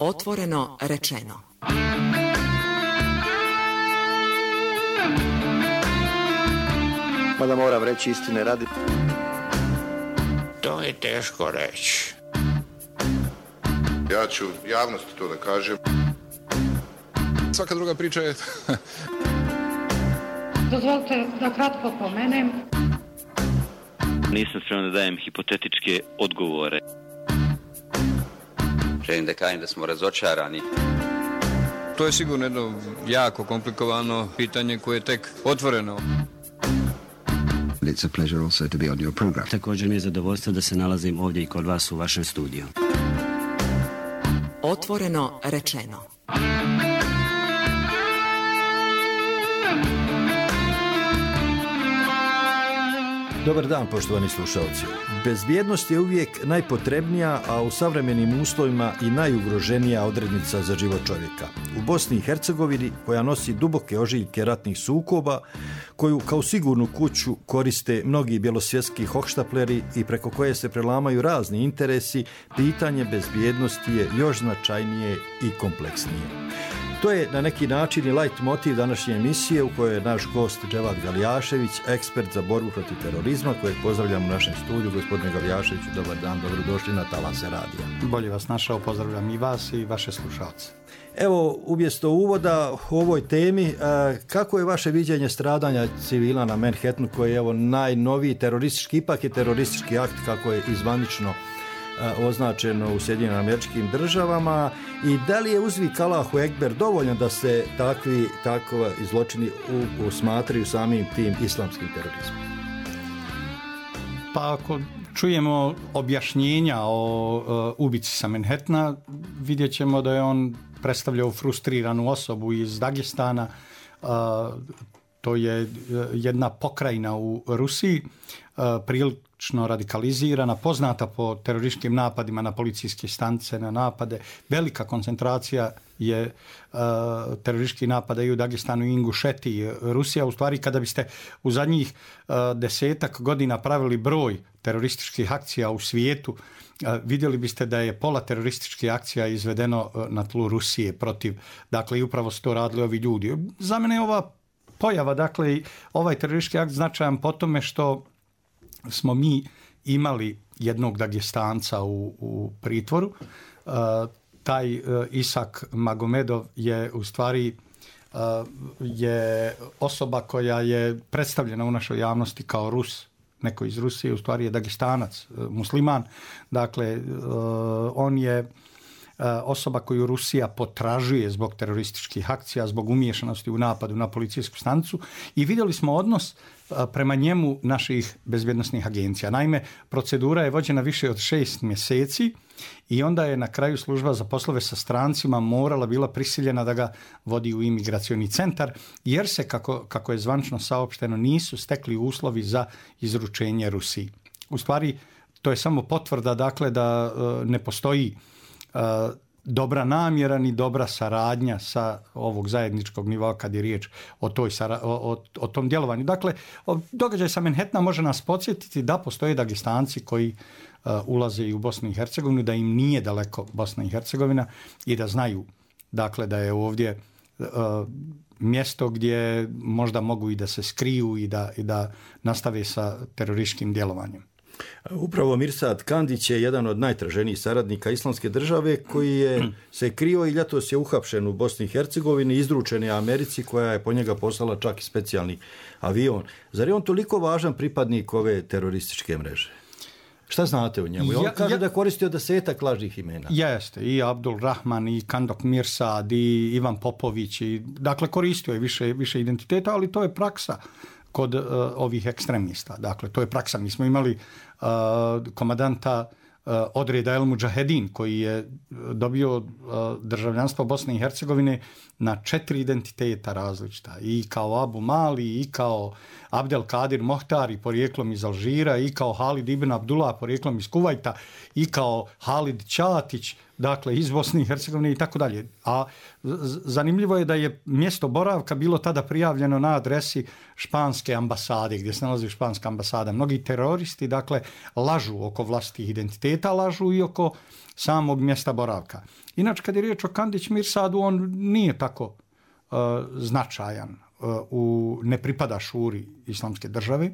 Otvoreno rečeno. Mada moram reći istine radi. To je teško reći. Ja ću javnosti to da kažem. Svaka druga priča je... Dozvolite da kratko pomenem. Nisam spreman da dajem hipotetičke odgovore. Želim da kažem da smo razočarani. To je sigurno jedno jako komplikovano pitanje koje je tek otvoreno. It's a pleasure also to be on your program. Također mi je zadovoljstvo da se nalazim ovdje i kod vas u vašem studiju. Otvoreno rečeno. Dobar dan, poštovani slušalci. Bezbjednost je uvijek najpotrebnija, a u savremenim uslovima i najugroženija odrednica za život čovjeka. U Bosni i Hercegovini, koja nosi duboke ožiljke ratnih sukoba, koju kao sigurnu kuću koriste mnogi bjelosvjetski hohštapleri i preko koje se prelamaju razni interesi, pitanje bezbjednosti je još značajnije i kompleksnije. To je na neki način i light motiv današnje emisije u kojoj je naš gost Dževad Galijašević, ekspert za borbu protiv terorizma, kojeg pozdravljam u našem studiju. Gospodine Galijaševiću, dobar dan, dobrodošli na Talase radija. Bolje vas našao, pozdravljam i vas i vaše slušalce. Evo, umjesto uvoda u ovoj temi, kako je vaše viđenje stradanja civila na Manhattanu, koji je evo najnoviji teroristički, ipak je teroristički akt kako je izvanično označeno u Sjedinjenim Američkim Državama, i da li je uzvik Allahu Ekber dovoljno da se takvi zločini usmatraju samim tim islamskim terorizmom? Pa ako čujemo objašnjenja o ubici sa Manhattana, vidjet ćemo da je on predstavljao frustriranu osobu iz Dagestana. To je jedna pokrajina u Rusiji, prilično radikalizirana, poznata po terorističkim napadima na policijske stanice, na napade. Velika koncentracija je terorističkih napada i u Dagestanu i Ingušetiji. Rusija, u stvari, kada biste u zadnjih 10 godina pravili broj terorističkih akcija u svijetu, vidjeli biste da je pola terorističkih akcija izvedeno na tlu Rusije protiv, dakle, i upravo su to radili ovi ljudi. Za mene je ova pojava, dakle, ovaj teroristički akt značajan po tome što smo mi imali jednog Dagestanca u pritvoru. Taj Isak Magomedov je u stvari je osoba koja je predstavljena u našoj javnosti kao Rus, neko iz Rusije, u stvari je Dagestanac, musliman. Dakle, on je osoba koju Rusija potražuje zbog terorističkih akcija, zbog umiješanosti u napadu na policijsku stanicu, i vidjeli smo odnos prema njemu naših bezbjednosnih agencija. Naime, procedura je vođena više od 6 mjeseci i onda je na kraju služba za poslove sa strancima morala bila prisiljena da ga vodi u imigracioni centar, jer se, kako je zvanično saopšteno, nisu stekli uslovi za izručenje Rusiji. U stvari, to je samo potvrda, dakle, da ne postoji dobra namjera ni dobra saradnja sa ovog zajedničkog nivoa kad je riječ o tom djelovanju. Dakle, događaj sa Manhattana može nas podsjetiti da postoje Dagestanci koji ulaze i u Bosnu i Hercegovinu, da im nije daleko Bosna i Hercegovina i da znaju, dakle, da je ovdje mjesto gdje možda mogu i da se skriju i da nastave sa terorističkim djelovanjem. Upravo Mirsad Kandić je jedan od najtraženijih saradnika Islamske države koji je se krio i ljetos je uhapšen u Bosni i Hercegovini, izručen je Americi koja je po njega poslala čak i specijalni avion. Zar je on toliko važan pripadnik ove terorističke mreže? Šta znate o njemu? On kaže da je koristio 10 lažnih imena. Jeste, i Abdul Rahman, i Kandok Mirsad, i Ivan Popović, dakle koristio je više identiteta, ali to je praksa kod ovih ekstremista. Dakle, to je praksa. Mi smo imali komandanta odreda El Mudžahedin koji je dobio državljanstvo Bosne i Hercegovine na 4 identiteta različita. I kao Abu Mali, i kao Abdel Kadir Mohtari porijeklom iz Alžira, i kao Halid ibn Abdullah porijeklom iz Kuvajta, i kao Halid Ćatić dakle iz Bosne i Hercegovine i tako dalje. A zanimljivo je da je mjesto boravka bilo tada prijavljeno na adresi španske ambasade, gdje se nalazi španska ambasada. Mnogi teroristi, dakle, lažu oko vlastitih identiteta, lažu i oko samog mjesta boravka. Inače, kad je riječ o Kandić Mirsadu, on nije tako značajan, ne pripada šuri Islamske države,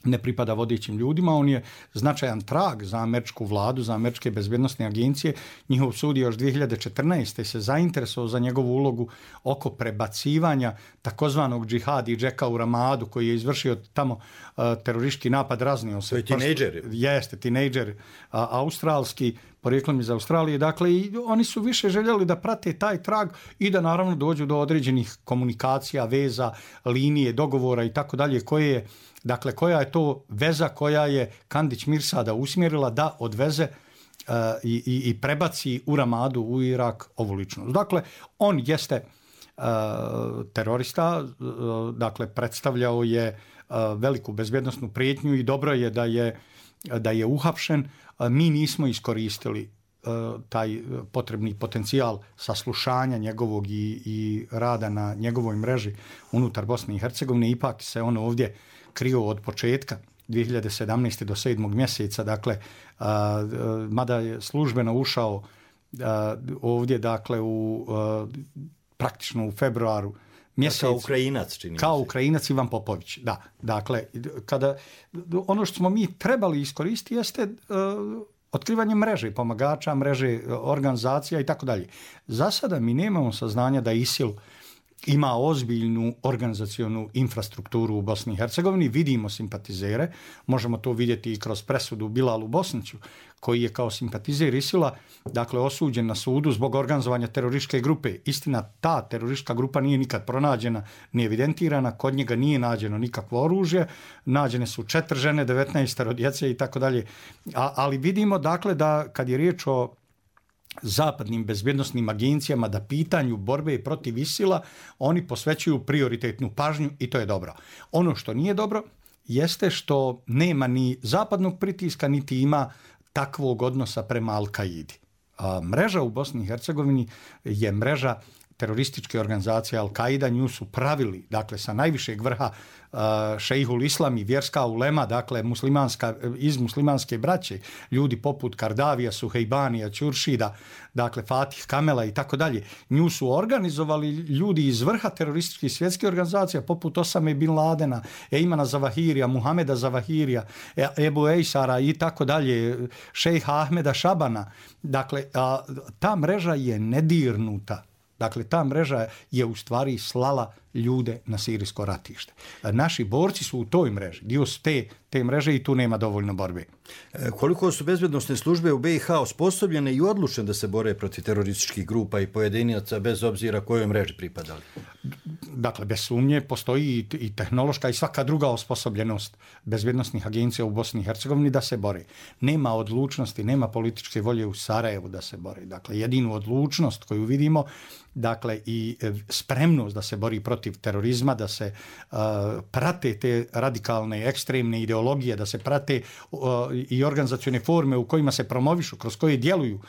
ne pripada vodećim ljudima, on je značajan trag za američku vladu, za američke bezbjednostne agencije. Njihov sud je još 2014. se zainteresovao za njegovu ulogu oko prebacivanja takozvanog džihadi Džeka u Ramadu, koji je izvršio tamo teroristički napad, raznio se. To je tinejdžer. Jeste, tinejdžer australski, porijeklom iz Australije. Dakle, i oni su više željeli da prate taj trag i da naravno dođu do određenih komunikacija, veza, linije, dogovora i tako dalje, koja je to veza koja je Kandić Mirsada usmjerila da odveze i prebaci u Ramadu, u Irak, ovu ličnost. Dakle, on jeste terorista, dakle, predstavljao je veliku bezbjednosnu prijetnju i dobro je da je uhapšen. Mi nismo iskoristili taj potrebni potencijal saslušanja njegovog i rada na njegovoj mreži unutar Bosne i Hercegovine. Ipak se on ovdje krio od početka 2017. do 7. mjeseca, dakle, mada je službeno ušao ovdje, dakle, praktično u februaru mjesec. Kao Ukrajinac, čini Kao se. Ukrajinac Ivan Popović, da. Dakle, ono što smo mi trebali iskoristiti jeste otkrivanje mreže pomagača, mreže organizacija i tako dalje. Za sada mi nemamo saznanja da ISIL ima ozbiljnu organizacionu infrastrukturu u Bosni i Hercegovini, vidimo simpatizere, možemo to vidjeti i kroz presudu Bilalu Bosniću, koji je kao simpatizer ISIL-a, dakle, osuđen na sudu zbog organizovanja terorističke grupe. Istina, ta teroristička grupa nije nikad pronađena, ni evidentirana, kod njega nije nađeno nikakvo oružje, nađene su 4 žene, 19 djece i tako dalje. Ali vidimo, dakle, da kad je riječ o zapadnim bezbjednosnim agencijama, da pitanju borbe protiv ISIL-a oni posvećuju prioritetnu pažnju i to je dobro. Ono što nije dobro jeste što nema ni zapadnog pritiska, niti ima takvog odnosa prema Al-Kaidi. Mreža u Bosni i Hercegovini je mreža terorističke organizacije Al-Kaida, nju su pravili, dakle, sa najvišeg vrha šejhul islam i vjerska ulema, dakle, iz muslimanske braće, ljudi poput Kardavija, Suhejbanija, Ćuršida, dakle, Fatih Kamela i tako dalje. Nju su organizovali ljudi iz vrha terorističkih svjetskih organizacija, poput Osame bin Ladena, Ejmana Zavahirija, Muhameda Zavahirija, Ebu Ejsara i tako dalje, šejha Ahmeda Šabana. Dakle, ta mreža je nedirnuta. Dakle, ta mreža je u stvari slala ljude na sirijsko ratište. Naši borci su u toj mreži, dio su te mreže i tu nema dovoljno borbe. Koliko su bezbjednosne službe u BiH osposobljene i odlučne da se bore protiv terorističkih grupa i pojedinaca bez obzira kojoj mreži pripadali? Dakle, bez sumnje postoji i tehnološka i svaka druga osposobljenost bezbjednosnih agencija u Bosni i Hercegovini da se bore. Nema odlučnosti, nema političke volje u Sarajevu da se bore. Dakle, jedinu odlučnost koju vidimo, dakle, i spremnost da se bori protiv terorizma, da se prate te radikalne, ekstremne ideologije, da se prate i organizacione forme u kojima se promovišu, kroz koje djeluju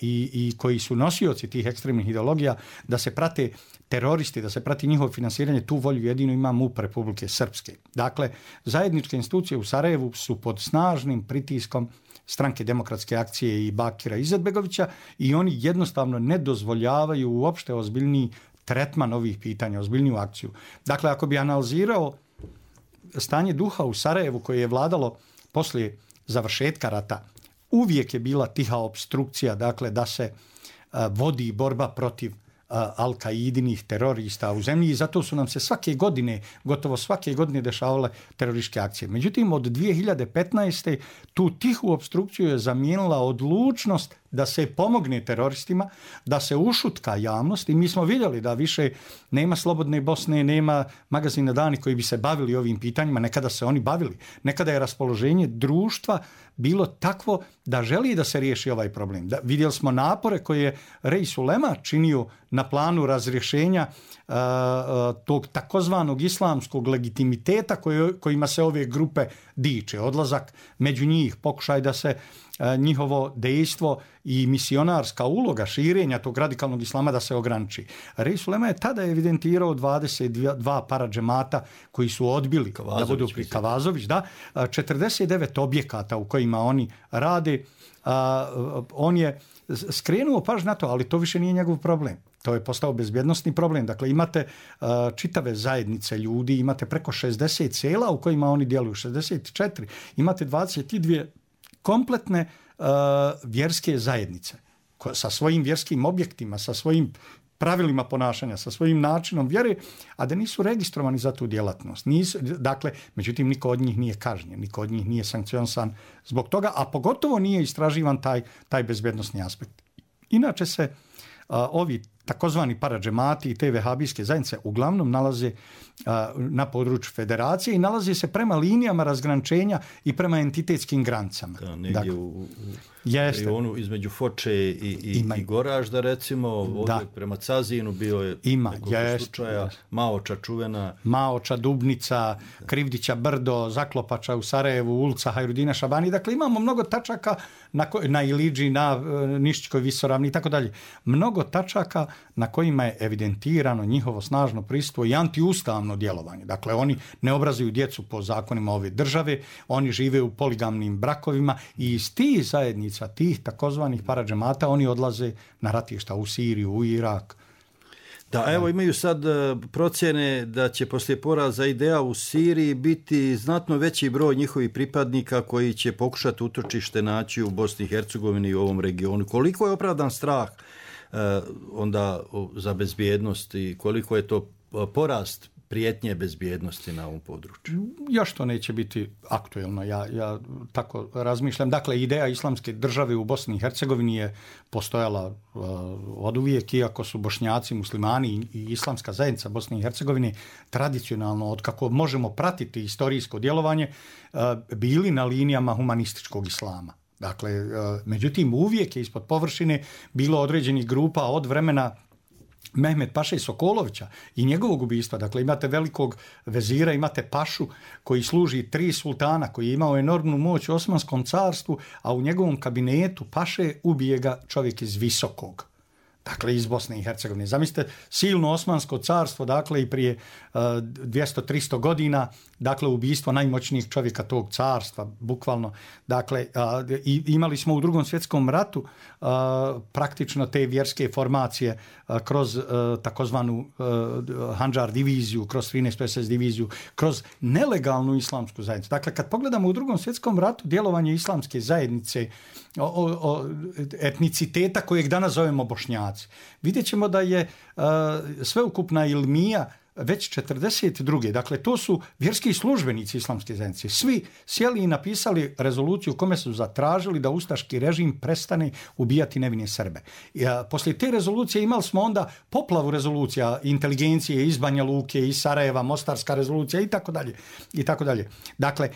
i koji su nosioci tih ekstremnih ideologija, da se prate teroristi, da se prati njihovo finansiranje, tu volju jedino ima MUP Republike Srpske. Dakle, zajedničke institucije u Sarajevu su pod snažnim pritiskom Stranke demokratske akcije i Bakira Izetbegovića i oni jednostavno ne dozvoljavaju uopšte ozbiljniji tretman ovih pitanja, ozbiljniju akciju. Dakle, ako bi analizirao stanje duha u Sarajevu koje je vladalo poslije završetka rata, uvijek je bila tiha opstrukcija, dakle, da se vodi borba protiv Al-Kaidinih terorista u zemlji i zato su nam se gotovo svake godine dešavale terorističke akcije. Međutim, od 2015. tu tihu opstrukciju je zamijenila odlučnost da se pomogne teroristima, da se ušutka javnost i mi smo vidjeli da više nema Slobodne Bosne, nema magazina Dani koji bi se bavili ovim pitanjima, nekada se oni bavili, nekada je raspoloženje društva bilo takvo da želi da se riješi ovaj problem. Vidjeli smo napore koje je Reis Ulema činio na planu razrješenja tog takozvanog islamskog legitimiteta kojima se ove grupe diče. Odlazak među njih, pokušaj da se njihovo dejstvo i misionarska uloga širenja tog radikalnog islama da se ograniči. Reis Ulema je tada evidentirao 22 paradžemata koji su odbili da budu pri Kavazović, 49 objekata u kojima oni rade. On je skrenuo pažnju na to, ali to više nije njegov problem. To je postao bezbjednosni problem. Dakle, imate čitave zajednice ljudi, imate preko 60 sela u kojima oni djeluju, 64. Imate 22 kompletne vjerske zajednice sa svojim vjerskim objektima, sa svojim pravilima ponašanja, sa svojim načinom vjere, a da nisu registrovani za tu djelatnost. Dakle, međutim, niko od njih nije kažnjen, niko od njih nije sankcionisan zbog toga, a pogotovo nije istraživan taj bezbjednosni aspekt. Inače se ovi takozvani paradžemati i te vehabijske zajednice uglavnom nalaze na području federacije i nalaze se prema linijama razgraničenja i prema entitetskim granicama. Da, negdje u regionu između Foče i Goražda, recimo, ovdje prema Cazinu bio je nekoliko slučaja, Maoča čuvena. Maoča, Dubnica, Krivdića brdo, Zaklopača u Sarajevu, ulica Hajrudina Šabani. Dakle, imamo mnogo tačaka na Iliđi, na Nišćkoj visoravni i tako dalje. Mnogo tačaka na kojima je evidentirano njihovo snažno prisustvo i antiustavno djelovanje. Dakle, oni ne obrazuju djecu po zakonima ove države, oni žive u poligamnim brakovima i iz tih zajednica, tih takozvanih paradžemata, oni odlaze na ratišta u Siriju, u Irak. Da, evo imaju sad procjene da će poslije poraza IDEA u Siriji biti znatno veći broj njihovih pripadnika koji će pokušati utočište naći u Bosni i Hercegovini i u ovom regionu. Koliko je opravdan strah onda za bezbjednost i koliko je to porast prijetnje bezbjednosti na ovom području? Još to neće biti aktuelno, ja tako razmišljam. Dakle, ideja islamske države u Bosni i Hercegovini je postojala oduvijek, iako su Bošnjaci, muslimani i islamska zajednica Bosne i Hercegovine tradicionalno, od kako možemo pratiti historijsko djelovanje, bili na linijama humanističkog islama. Dakle, međutim, uvijek je ispod površine bilo određenih grupa od vremena Mehmed Paše Sokolovića i njegovog ubistva. Dakle, imate velikog vezira, imate pašu koji služi 3 sultana, koji je imao enormnu moć u Osmanskom carstvu, a u njegovom kabinetu paše ubije ga čovjek iz Visokog. Dakle, iz Bosne i Hercegovine. Zamislite, silno Osmansko carstvo, dakle, i prije 200-300 godina, dakle, ubijstvo najmoćnijih čovjeka tog carstva, bukvalno. Dakle, imali smo u Drugom svjetskom ratu praktično te vjerske formacije kroz takozvanu Handžar diviziju, kroz 13. SS diviziju, kroz nelegalnu islamsku zajednicu. Dakle, kad pogledamo u Drugom svjetskom ratu djelovanje islamske zajednice, etniciteta kojeg danas zovemo Bošnjaci, vidjet ćemo da je sveukupna ilmija već 42. Dakle, to su vjerski službenici islamske zajednice. Svi sjeli i napisali rezoluciju u kome su zatražili da ustaški režim prestane ubijati nevine Srbe. Poslije te rezolucije imali smo onda poplavu rezolucija inteligencije iz Banja Luke, iz Sarajeva, Mostarska rezolucija i tako dalje. I tako dalje. Dakle,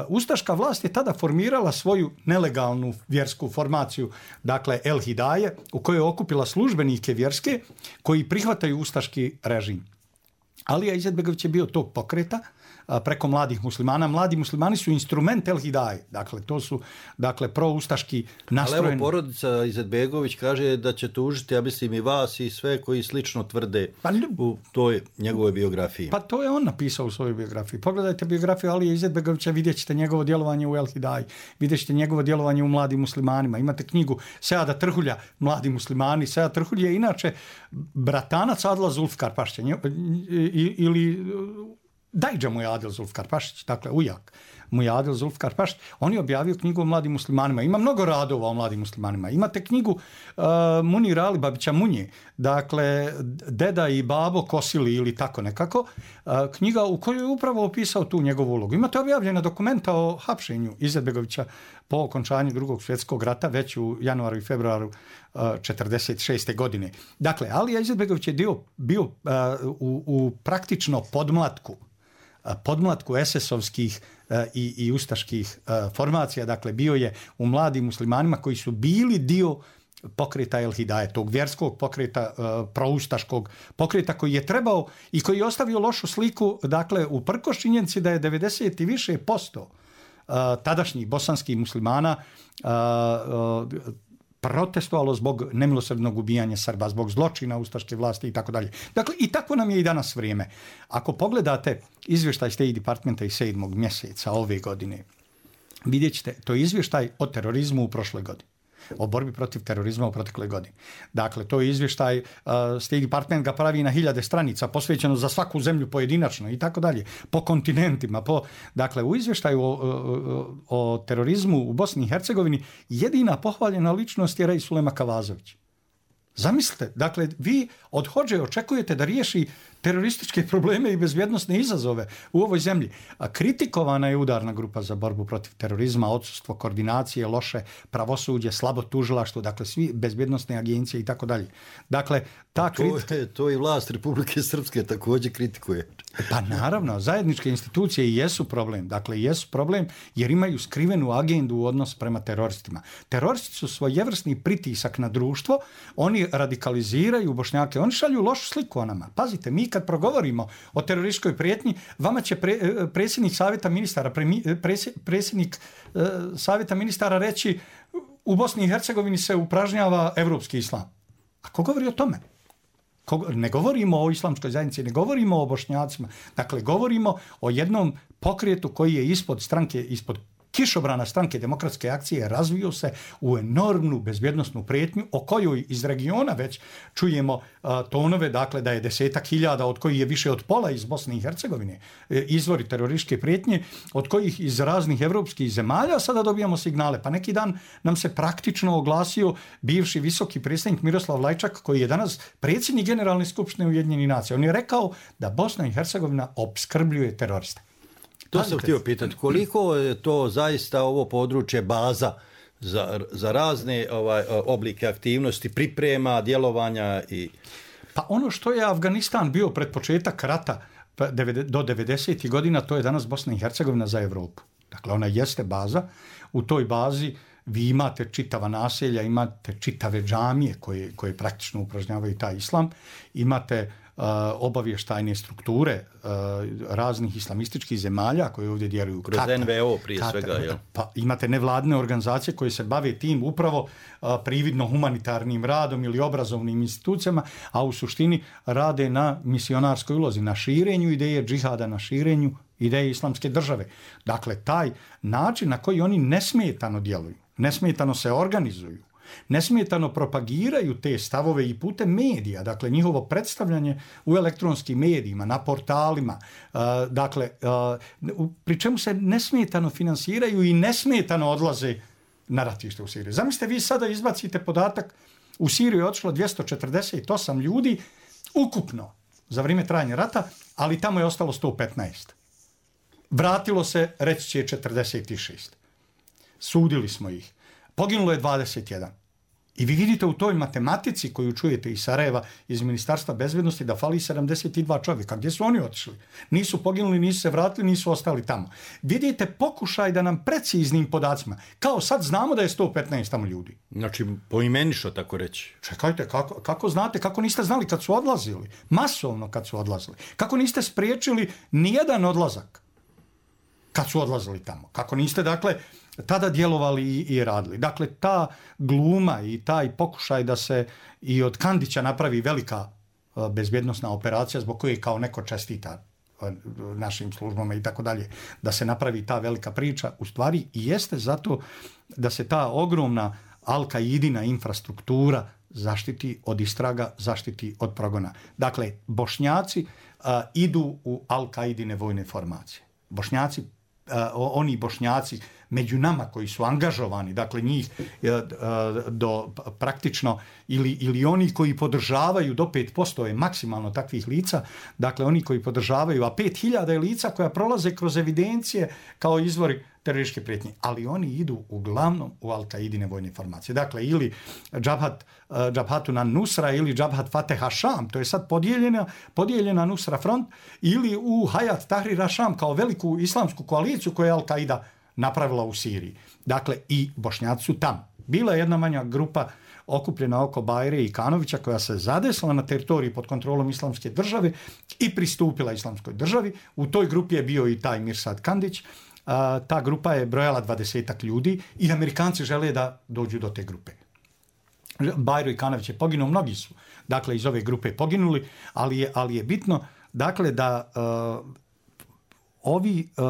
ustaška vlast je tada formirala svoju nelegalnu vjersku formaciju, dakle El Hidaje, u kojoj je okupila službenike vjerske koji prihvataju ustaški režim. Alija Izetbegović je bio tog pokreta preko mladih muslimana. Mladi muslimani su instrument El Hidaje. Dakle, to su proustaški nastrojeni. Ali evo, porodica Izetbegović kaže da će tužiti, ja mislim, i vas i sve koji slično tvrde u toj njegovoj biografiji. Pa to je on napisao u svojoj biografiji. Pogledajte biografiju Alije Izetbegovića, vidjet ćete njegovo djelovanje u El Hidaji, vidjet ćete njegovo djelovanje u Mladim muslimanima. Imate knjigu Seada Trhulja, Mladi muslimani. Sead Trhulj je inače bratanac Adla Zulfikar Pašića ili Dajđa mu je Adil Zulfikar Pašić, dakle ujak mu je Adil Zulfikar Pašić. On je objavio knjigu o mladim muslimanima. Ima mnogo radova o mladim muslimanima. Imate knjigu Munira Alibabića Munje, dakle Deda i babo kosili ili tako nekako. Knjiga u kojoj je upravo opisao tu njegovu ulogu. Imate objavljena dokumenta o hapšenju Izetbegovića po okončanju Drugog svjetskog rata već u januaru i februaru 1946. godine. Dakle, Alija Izetbegović je bio u praktično podmlatku SS-ovskih i ustaških formacija. Dakle, bio je u Mladim muslimanima koji su bili dio pokreta El Hidaje, tog vjerskog pokreta, proustaškog pokreta koji je trebao i koji je ostavio lošu sliku, dakle, uprkos činjenici da je 90 i više % tadašnjih bosanskih muslimana protestovalo zbog nemilosrdnog ubijanja Srba, zbog zločina ustaške vlasti i tako dalje. Dakle, i tako nam je i danas vrijeme. Ako pogledate izvještaj State Departmenta iz 7. mjeseca ove godine, vidjet ćete, to je izvještaj o terorizmu u prošloj godini, o borbi protiv terorizma u protekloj godini. Dakle, to je izvještaj, State Department ga pravi na 1000 stranica, posvećeno za svaku zemlju pojedinačno i tako dalje, po kontinentima. Dakle, u izvještaju o terorizmu u Bosni i Hercegovini jedina pohvaljena ličnost je Sulema Kavazović. Zamislite, dakle, vi od Hodže očekujete da riješi terorističke probleme i bezbjednosne izazove u ovoj zemlji. A kritikovana je udarna grupa za borbu protiv terorizma, odsustvo koordinacije, loše pravosuđe, slabo tužilaštvo, dakle, svi bezbjednosne agencije i tako dalje. Dakle, to i vlast Republike Srpske također kritikuje. Pa naravno, zajedničke institucije i jesu problem. Dakle, jesu problem jer imaju skrivenu agendu u odnos prema teroristima. Teroristi su svojevrsni pritisak na društvo, oni radikaliziraju Bošnjake, oni šalju lošu sliku o nama. Pazite, mi kad progovorimo o terorističkoj prijetnji, vama će predsjednik savjeta ministara, predsjednik savjeta ministara reći u Bosni i Hercegovini se upražnjava evropski islam. A ko govori o tome? Ne govorimo o islamskoj zajednici, ne govorimo o Bošnjacima. Dakle, govorimo o jednom pokretu koji je ispod kišobrana stranke Demokratske akcije razvio se u enormnu bezbjednosnu prijetnju o kojoj iz regiona već čujemo tonove, dakle da je 10.000 od kojih je više od pola iz Bosne i Hercegovine izvori terorističke prijetnje, od kojih iz raznih evropskih zemalja sada dobijamo signale. Pa neki dan nam se praktično oglasio bivši visoki predsjednik Miroslav Lajčak, koji je danas predsjednik Generalne skupštine Ujedinjenih nacija. On je rekao da Bosna i Hercegovina opskrbljuje teroriste. To sam htio pitati, koliko je to zaista ovo područje baza za razne oblike aktivnosti, priprema, djelovanja i... Pa ono što je Afganistan bio pred početak rata do 90. godina, to je danas Bosna i Hercegovina za Evropu. Dakle, ona jeste baza. U toj bazi vi imate čitava naselja, imate čitave džamije koje praktično upražnjavaju taj islam, imate obavještajne strukture raznih islamističkih zemalja koje ovdje djeluju. Kroz NVO prije svega, jel? Pa imate nevladne organizacije koje se bave tim upravo prividno humanitarnim radom ili obrazovnim institucijama, a u suštini rade na misionarskoj ulozi, na širenju ideje džihada, na širenju ideje islamske države. Dakle, taj način na koji oni nesmetano djeluju, nesmetano se organizuju, nesmetano propagiraju te stavove i putem medija, dakle njihovo predstavljanje u elektronskim medijima, na portalima, dakle, pri čemu se nesmetano finansiraju i nesmetano odlaze na ratište u Siriji. Zamislite, vi sada izbacite podatak, u Siriju je otišlo 248 ljudi ukupno za vrijeme trajanja rata, ali tamo je ostalo 115. Vratilo se, reći će 46. Sudili smo ih. Poginulo je 21. I vi vidite u toj matematici koju čujete iz Sarajeva, iz Ministarstva bezbjednosti, da fali 72 čovjeka. Gdje su oni otišli? Nisu poginuli, nisu se vratili, nisu ostali tamo. Vidite pokušaj da nam preciznim podacima, kao sad znamo da je 115 tamo ljudi. Znači, poimenično tako reći. Čekajte, kako znate, kako niste znali kad su odlazili? Masovno kad su odlazili. Kako niste spriječili nijedan odlazak kad su odlazili tamo? Kako niste, dakle, tada djelovali i radili. Dakle, ta gluma i taj pokušaj da se i od Kandića napravi velika bezbjednosna operacija zbog koje kao neko čestita našim službama i tako dalje, da se napravi ta velika priča, u stvari i jeste zato da se ta ogromna Al-Kaidina infrastruktura zaštiti od istraga, zaštiti od progona. Dakle, Bošnjaci idu u Al-Kaidine vojne formacije. Oni Bošnjaci među nama koji su angažovani, dakle njih do praktično ili oni koji podržavaju do 5% je maksimalno takvih lica, dakle oni koji podržavaju, a 5000 je lica koja prolaze kroz evidencije kao izvori terorističke prijetnje, ali oni idu uglavnom u Al-Kaidine vojne formacije. Dakle, ili Džabhatun an-Nusra ili Džabhat Fateh Hašam, to je sad podijeljena Nusra front, ili u Hayat Tahrir Hašam kao veliku islamsku koaliciju koju je Al-Kaida napravila u Siriji. Dakle, i Bošnjaci su tamo. Bila je jedna manja grupa okupljena oko Bajre i Kanovića koja se zadesila na teritoriji pod kontrolom islamske države i pristupila islamskoj državi. U toj grupi je bio i taj Mirsad Kandić, ta grupa je brojala 20 ljudi i Amerikanci žele da dođu do te grupe. Bajro i Kanavić je poginuo, mnogi su dakle iz ove grupe poginuli, ali je bitno dakle da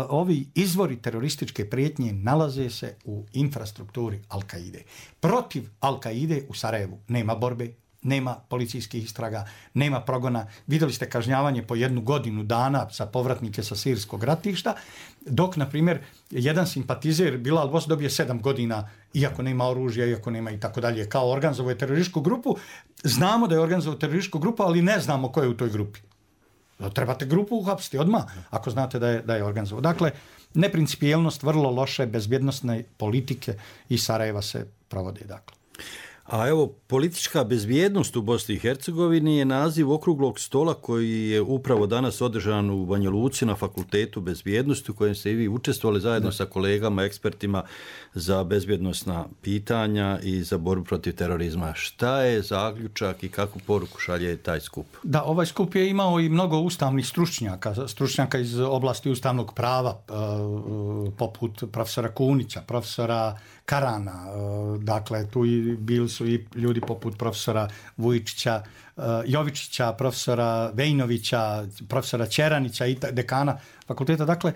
ovi izvori terorističke prijetnje nalaze se u infrastrukturi Al-Kaide. Protiv Al-Kaide u Sarajevu nema borbe, nema policijskih istraga, nema progona. Vidjeli ste kažnjavanje po 1 godinu dana za povratnike sa sirijskog ratišta, dok, na primjer, jedan simpatizer Bilal Bos dobije 7 godina, iako nema oružja, iako nema i tako dalje, kao organizovao je terorističku grupu. Znamo da je organizovao terorističku grupu, ali ne znamo ko je u toj grupi. Trebate grupu uhapsiti odmah, ako znate da je organizovao. Dakle, neprincipijelnost, vrlo loše bezbjednostne politike iz Sarajeva se provode, dakle. A evo, politička bezbjednost u Bosni i Hercegovini je naziv okruglog stola koji je upravo danas održan u Banja Luci na Fakultetu bezbjednosti u kojem ste i vi učestvovali zajedno sa kolegama, ekspertima za bezbjednosna pitanja i za borbu protiv terorizma. Šta je zaključak i kakvu poruku šalje taj skup? Da, ovaj skup je imao i mnogo ustavnih stručnjaka iz oblasti ustavnog prava, poput profesora Kunića, profesora Karana, dakle tu bili su i ljudi poput profesora Vujičića, Jovičića, profesora Vejnovića, profesora Ćeranića i dekana fakulteta. Dakle,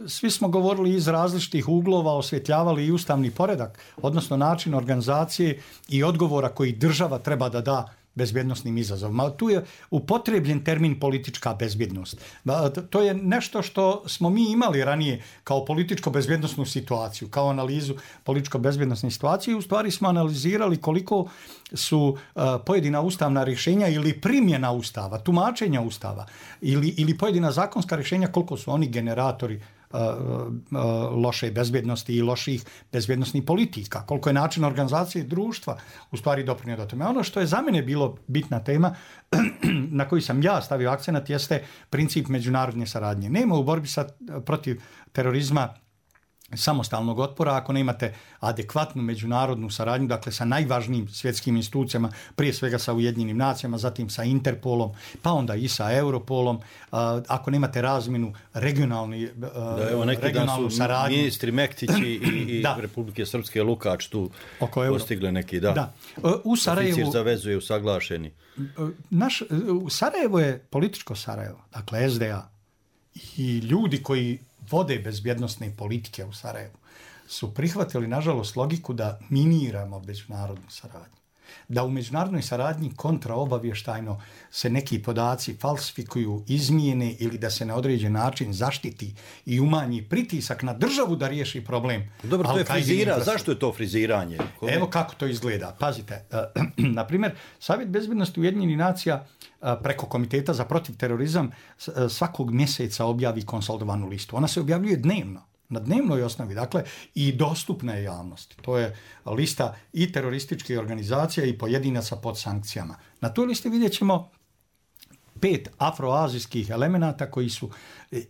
svi smo govorili iz različitih uglova, osvjetljavali i ustavni poredak, odnosno način organizacije i odgovora koji država treba da da bezbjednosnim izazovima. Tu je upotrebljen termin politička bezbjednost. To je nešto što smo mi imali ranije kao političko-bezbjednosnu situaciju, kao analizu političko-bezbjednosne situacije. U stvari smo analizirali koliko su pojedina ustavna rješenja ili primjena ustava, tumačenja ustava ili pojedina zakonska rješenja, koliko su oni generatori loše bezbjednosti i loših bezbjednosnih politika, koliko je način organizacije društva u stvari doprinio do tome. Ono što je za mene bilo bitna tema na koju sam ja stavio akcenat jeste princip međunarodne saradnje. Nema u borbi protiv terorizma samostalnog otpora ako nemate adekvatnu međunarodnu saradnju, dakle sa najvažnijim svjetskim institucijama, prije svega sa Ujedinjenim nacijama, zatim sa Interpolom, pa onda i sa Europolom, ako nemate razmjenu regionalnu saradnju. Ministri Mektići i Republike Srpske Lukač tu postigle neki, U Sarajevu, oficir za vezu je usaglašeni. Sarajevo je političko Sarajevo, dakle SDA i ljudi koji vode bezbjednostne politike u Sarajevu su prihvatili, nažalost, logiku da miniramo međunarodnu saradnju. Da u međunarodnoj saradnji kontraobavještajno se neki podaci falsifikuju, izmijene ili da se na određen način zaštiti i umanji pritisak na državu da riješi problem. Dobro, to je frizira. Zašto je to friziranje? Evo kako to izgleda. Pazite, na primjer, Savjet bezbjednosti Ujedinjenih nacija preko Komiteta za protiv terorizam svakog mjeseca objavi konsolidovanu listu. Ona se objavljuje dnevno, na dnevnoj osnovi, dakle, i dostupna je javnosti. To je lista i terorističkih organizacija i pojedinaca pod sankcijama. Na toj listi vidjet ćemo 5 afroazijskih elemenata koji su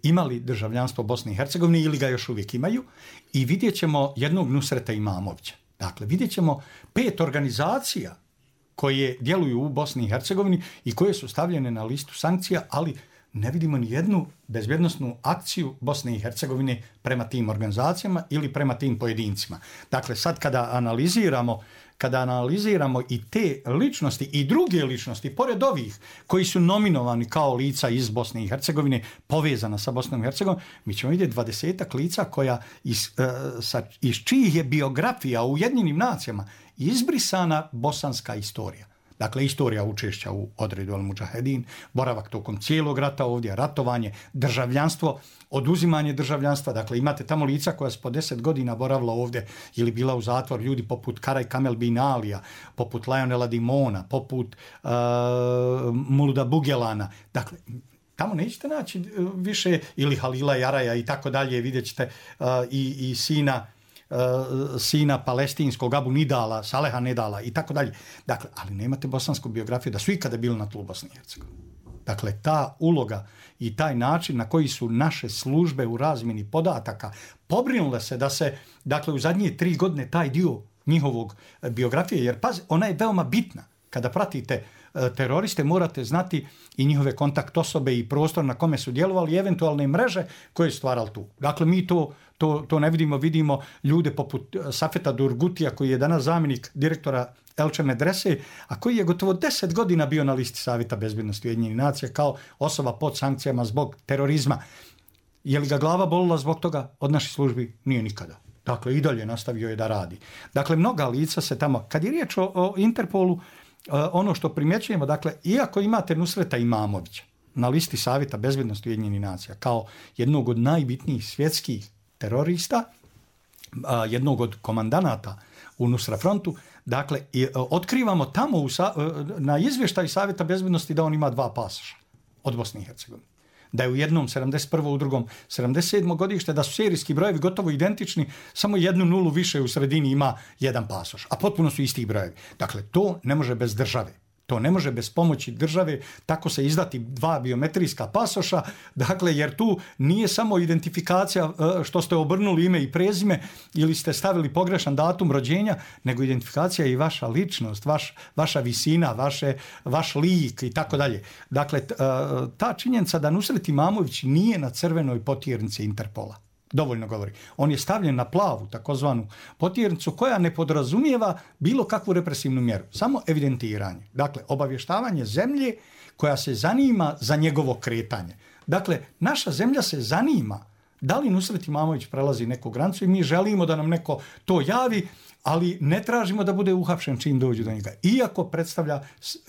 imali državljanstvo Bosne i Hercegovine ili ga još uvijek imaju, i vidjet ćemo jednog Nusreta Imamovića. Dakle, vidjet ćemo 5 organizacija koje djeluju u Bosni i Hercegovini i koje su stavljene na listu sankcija, ali ne vidimo ni jednu bezbjednosnu akciju Bosne i Hercegovine prema tim organizacijama ili prema tim pojedincima. Dakle, sad kada analiziramo i te ličnosti i druge ličnosti, pored ovih koji su nominovani kao lica iz Bosne i Hercegovine, povezana sa Bosnom i Hercegovinom, mi ćemo vidjeti 20 lica koja iz čijih je biografija u Ujedinjenim nacijama izbrisana bosanska istorija. Dakle, istorija učešća u odredu Al-Mudžahedin, boravak tokom cijelog rata ovdje, ratovanje, državljanstvo, oduzimanje državljanstva. Dakle, imate tamo lica koja su po 10 godina boravila ovdje ili bila u zatvor, ljudi poput Karaj Kamel bin Alija, poput Lionela Dimona, poput Muluda Bugelana. Dakle, tamo nećete naći više, ili Halila Jaraja i tako dalje, vidjet ćete i sina palestinskog Abu Nidala, Saleha Nidala i tako dalje. Dakle, ali nemate bosansku biografiju da su ikada bili na tlu Bosne i Hercegovine. Dakle, ta uloga i taj način na koji su naše službe u razmjeni podataka pobrinule se da se, dakle, u zadnje 3 godine taj dio njihovog biografije, jer pazi, ona je veoma bitna. Kada pratite teroriste morate znati i njihove kontakt osobe i prostor na kome su djelovali i eventualne mreže koje su stvarali tu. Dakle, mi to ne vidimo ljude poput Safeta Durgutija koji je danas zamjenik direktora Elče Medrese, a koji je gotovo 10 godina bio na listi Savjeta bezbjednosti Ujedinjenih nacija kao osoba pod sankcijama zbog terorizma. Je li ga glava bolila zbog toga? Od naših službi nije nikada. Dakle, i dalje nastavio je da radi. Dakle, mnoga lica se tamo... Kad je riječ o Interpolu, ono što primjećujemo, dakle, iako imate Nusreta Imamovića na listi Savjeta bezbjednosti Ujedinjenih nacija kao jednog od najbitnijih svjetskih terorista, jednog od komandanata u Nusra frontu, dakle, otkrivamo tamo na izvještaju Savjeta bezbjednosti da on ima 2 pasoša od Bosne i Hercegovine. Da je u jednom 71. u drugom 77. godište, da su serijski brojevi gotovo identični, samo 1 nulu više u sredini ima jedan pasoš, a potpuno su isti brojevi. Dakle, to ne može bez države. To ne može bez pomoći države tako se izdati 2 biometrijska pasoša, dakle, jer tu nije samo identifikacija što ste obrnuli ime i prezime ili ste stavili pogrešan datum rođenja, nego identifikacija i vaša ličnost, vaša visina, vaš lik i tako dalje. Dakle, ta činjenica da Nusret Imamović nije na crvenoj potjernici Interpola dovoljno govori. On je stavljen na plavu, takozvanu potjernicu, koja ne podrazumijeva bilo kakvu represivnu mjeru, samo evidentiranje. Dakle, obavještavanje zemlje koja se zanima za njegovo kretanje. Dakle, naša zemlja se zanima da li Nusret Imamović prelazi neku granicu i mi želimo da nam neko to javi, ali ne tražimo da bude uhapšen čim dođu do njega. Iako predstavlja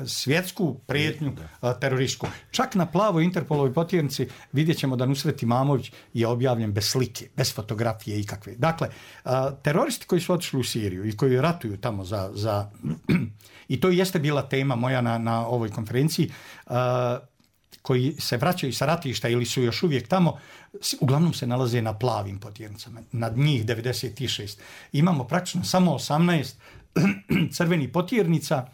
svjetsku prijetnju terorističku. Čak na plavoj Interpolovoj potjernici vidjet ćemo da Nusret Imamović je objavljen bez slike, bez fotografije ikakve. Dakle, teroristi koji su otišli u Siriju i koji ratuju tamo za i to jeste bila tema moja na ovoj konferenciji, koji se vraćaju sa ratišta ili su još uvijek tamo, uglavnom se nalaze na plavim potjernicama. Nad njih 96. Imamo praktično samo 18 crvenih potjernica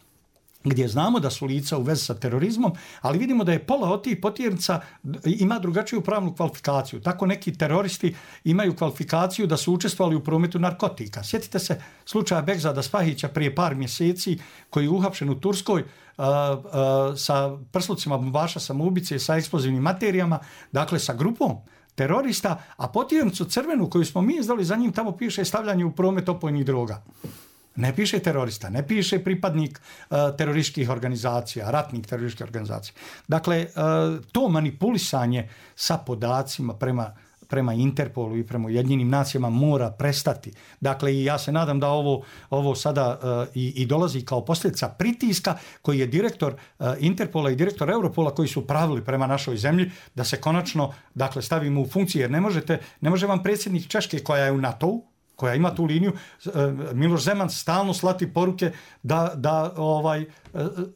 gdje znamo da su lica u vezi sa terorizmom, ali vidimo da je pola od tih potjernica ima drugačiju pravnu kvalifikaciju. Tako neki teroristi imaju kvalifikaciju da su učestvovali u prometu narkotika. Sjetite se slučaja Begzada Spahića prije par mjeseci koji je uhapšen u Turskoj sa prslucima bombaša samoubice, sa eksplozivnim materijama, dakle sa grupom terorista, a potjernicu crvenu koju smo mi izdali, za njim tamo piše stavljanje u promet opojnih droga. Ne piše terorista, ne piše pripadnik terorističkih organizacija, ratnih terorističkih organizacija. Dakle, to manipulisanje sa podacima prema Interpolu i prema Ujedinjenim nacijama mora prestati. Dakle, i ja se nadam da ovo sada i dolazi kao posljedica pritiska koji je direktor Interpola i direktor Europola koji su pravili prema našoj zemlji da se konačno, dakle, stavimo u funkciju, jer ne može vam predsjednik Češke koja je u NATO-u, koja ima tu liniju, Miloš Zeman stalno slati poruke da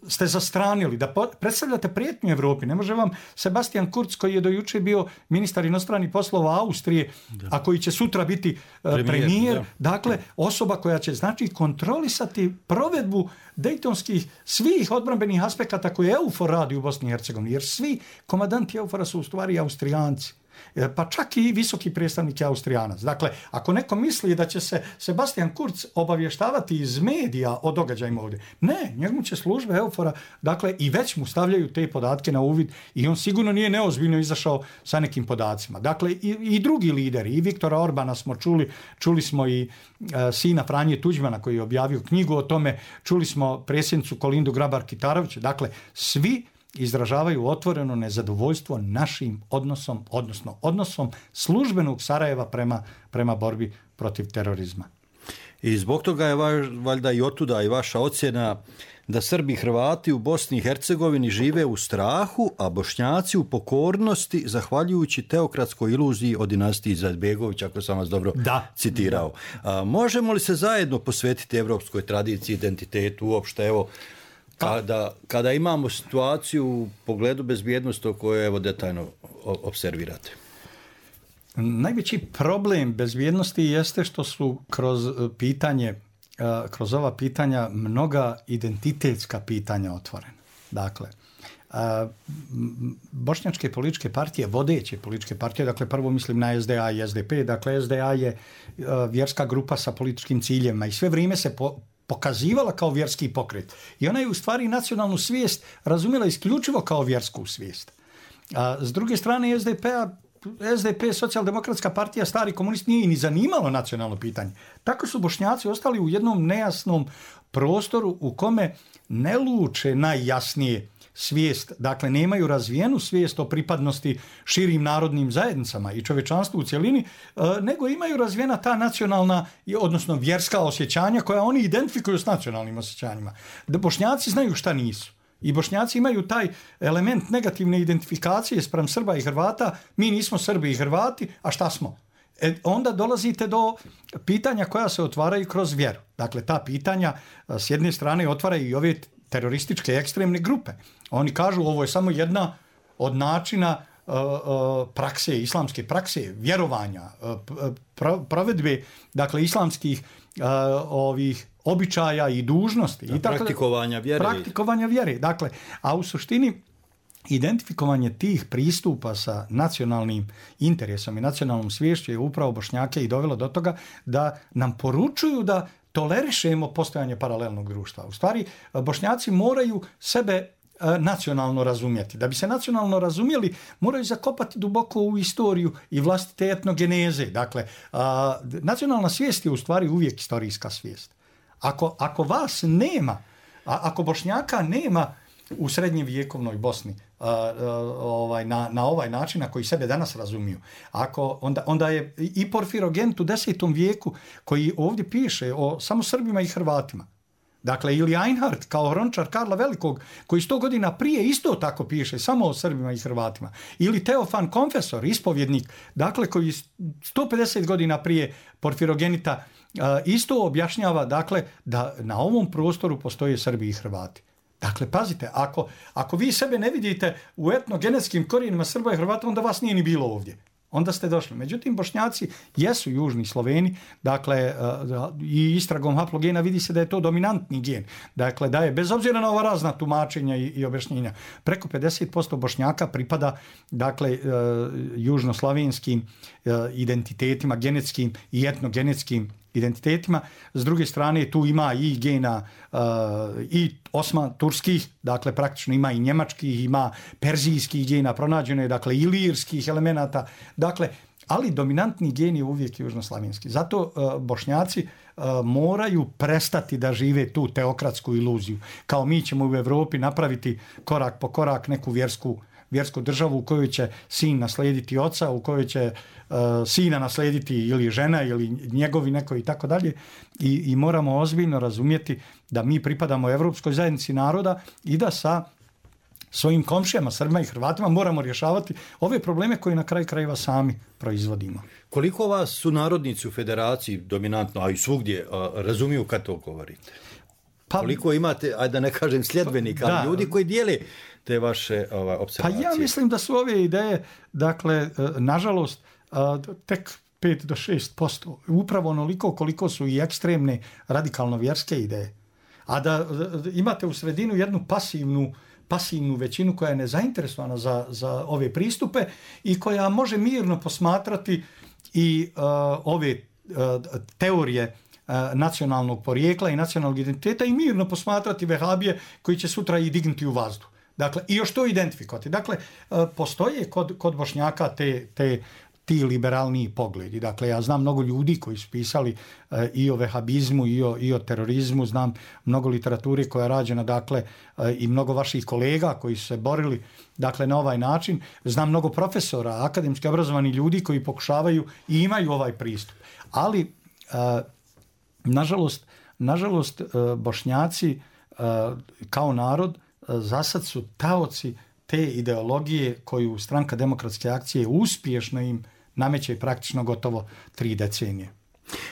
ste zastranili, da predstavljate prijetnju Evropi. Ne može vam Sebastian Kurz, koji je do juče bio ministar inostranih poslova Austrije, a koji će sutra biti premijer, dakle, osoba koja će kontrolisati provedbu dejtonskih svih odbrambenih aspekata koje EUFOR radi u Bosni i Hercegovini, jer svi komandanti EUFOR-a su u stvari Austrijanci. Pa čak i visoki predstavnik je Austrijanac. Dakle, ako neko misli da će se Sebastian Kurz obavještavati iz medija o događajima ovdje, ne, njemu će službe EUFOR-a, dakle, i već mu stavljaju te podatke na uvid i on sigurno nije neozbiljno izašao sa nekim podacima. Dakle, i drugi lideri, i Viktora Orbana smo čuli smo i sina Franje Tuđmana koji je objavio knjigu o tome, čuli smo predsjednicu Kolindu Grabar-Kitarović, dakle, svi izražavaju otvoreno nezadovoljstvo našim odnosom, odnosom službenog Sarajeva prema borbi protiv terorizma. I zbog toga je valjda i otuda i vaša ocjena da Srbi i Hrvati u Bosni i Hercegovini žive u strahu, a Bošnjaci u pokornosti, zahvaljujući teokratskoj iluziji o dinastiji Izetbegovića, ako sam vas dobro citirao. Možemo li se zajedno posvetiti evropskoj tradiciji, identitetu, uopšte, evo, kada imamo situaciju u pogledu bezbjednosti o kojoj evo detaljno observirate? Najveći problem bezbjednosti jeste što su kroz ova pitanja mnoga identitetska pitanja otvorena. Dakle, bošnjačke političke partije, vodeće političke partije, dakle prvo mislim na SDA i SDP, dakle SDA je vjerska grupa sa političkim ciljevima i sve vrijeme se pokazivala kao vjerski pokret. I ona je u stvari nacionalnu svijest razumjela isključivo kao vjersku svijest. A s druge strane SDP, Socijaldemokratska partija, stari komunist, nije ni zanimalo nacionalno pitanje. Tako su Bošnjaci ostali u jednom nejasnom prostoru u kome ne luče najjasnije svijest, dakle nemaju razvijenu svijest o pripadnosti širim narodnim zajednicama i čovječanstvu u cjelini, nego imaju razvijena ta nacionalna, odnosno vjerska osjećanja koja oni identifikuju s nacionalnim osjećanjima. Da Bošnjaci znaju šta nisu. I Bošnjaci imaju taj element negativne identifikacije spram Srba i Hrvata, mi nismo Srbi i Hrvati, a šta smo? Onda dolazite do pitanja koja se otvaraju kroz vjeru. Dakle, ta pitanja s jedne strane otvaraju i ove terorističke ekstremne grupe. Oni kažu ovo je samo jedna od načina prakse, islamske prakse, vjerovanja, provedbe, dakle, islamskih ovih običaja i dužnosti. Da, i tako, praktikovanja vjere. Dakle, a u suštini identifikovanje tih pristupa sa nacionalnim interesom i nacionalnom sviješću je upravo Bošnjake i dovelo do toga da nam poručuju da tolerišemo postojanje paralelnog društva. U stvari, Bošnjaci moraju sebe nacionalno razumjeti. Da bi se nacionalno razumjeli, moraju zakopati duboko u istoriju i vlastite etnogeneze. Dakle, nacionalna svijest je u stvari uvijek historijska svijest. Ako vas nema, ako Bošnjaka nema u srednjevjekovnoj Bosni na ovaj način na koji sebe danas razumiju, onda je i Porfirogent u 10. vijeku koji ovdje piše o samo Srbima i Hrvatima. Dakle, ili Einhard kao hrončar Karla Velikog, koji 100 godina prije isto tako piše samo o Srbima i Hrvatima. Ili Teofan Konfesor, ispovjednik, dakle, koji 150 godina prije Porfirogenita isto objašnjava, dakle, da na ovom prostoru postoje Srbi i Hrvati. Dakle, pazite, ako vi sebe ne vidite u etnogenetskim korijenima Srba i Hrvata, onda vas nije ni bilo ovdje. Onda ste došli. Međutim, Bošnjaci jesu južni Sloveni, dakle, i istragom haplogena vidi se da je to dominantni gen. Dakle, da je, bez obzira na ova razna tumačenja i objašnjenja, preko 50% Bošnjaka pripada, dakle, južnoslavenskim identitetima, genetskim i etnogenetskim identitetima. S druge strane, tu ima i gena i turskih, dakle praktično ima i njemačkih, ima perzijskih gena, pronađeno je, dakle, ilirskih elemenata, dakle, ali dominantni gen je uvijek južnoslavenski. Zato Bošnjaci moraju prestati da žive tu teokratsku iluziju. Kao mi ćemo u Evropi napraviti korak po korak neku vjersku državu u kojoj će sin naslijediti oca, u kojoj će sina naslijediti ili žena ili njegovi neko i tako dalje. I moramo ozbiljno razumjeti da mi pripadamo Evropskoj zajednici naroda i da sa svojim komšijama, Srbima i Hrvatima moramo rješavati ove probleme koje na kraju krajeva sami proizvodimo. Koliko vas su narodnici u federaciji dominantno, a i svugdje, razumiju kad to govorite? Koliko imate, ajde da ne kažem sljedbenika, ali ljudi koji dijele te vaše observacije? Pa ja mislim da su ove ideje, dakle, nažalost, tek 5 do 6%. Upravo onoliko koliko su i ekstremne radikalno vjerske ideje. A da imate u sredinu jednu pasivnu većinu koja je nezainteresovana za ove pristupe i koja može mirno posmatrati i ove teorije nacionalnog porijekla i nacionalnog identiteta i mirno posmatrati vehabije koji će sutra i dignuti u vazduh. Dakle, i još to identifikovati. Dakle, postoje kod Bošnjaka ti liberalniji pogledi. Dakle, ja znam mnogo ljudi koji su pisali i o vehabizmu i o terorizmu, znam mnogo literature koja je rađena, dakle, i mnogo vaših kolega koji su se borili, dakle, na ovaj način. Znam mnogo profesora, akademski obrazovani ljudi koji pokušavaju i imaju ovaj pristup. Ali, nažalost, Bošnjaci kao narod zasad su taoci te ideologije koju Stranka demokratske akcije uspješno im nameće praktično gotovo 3 decenije.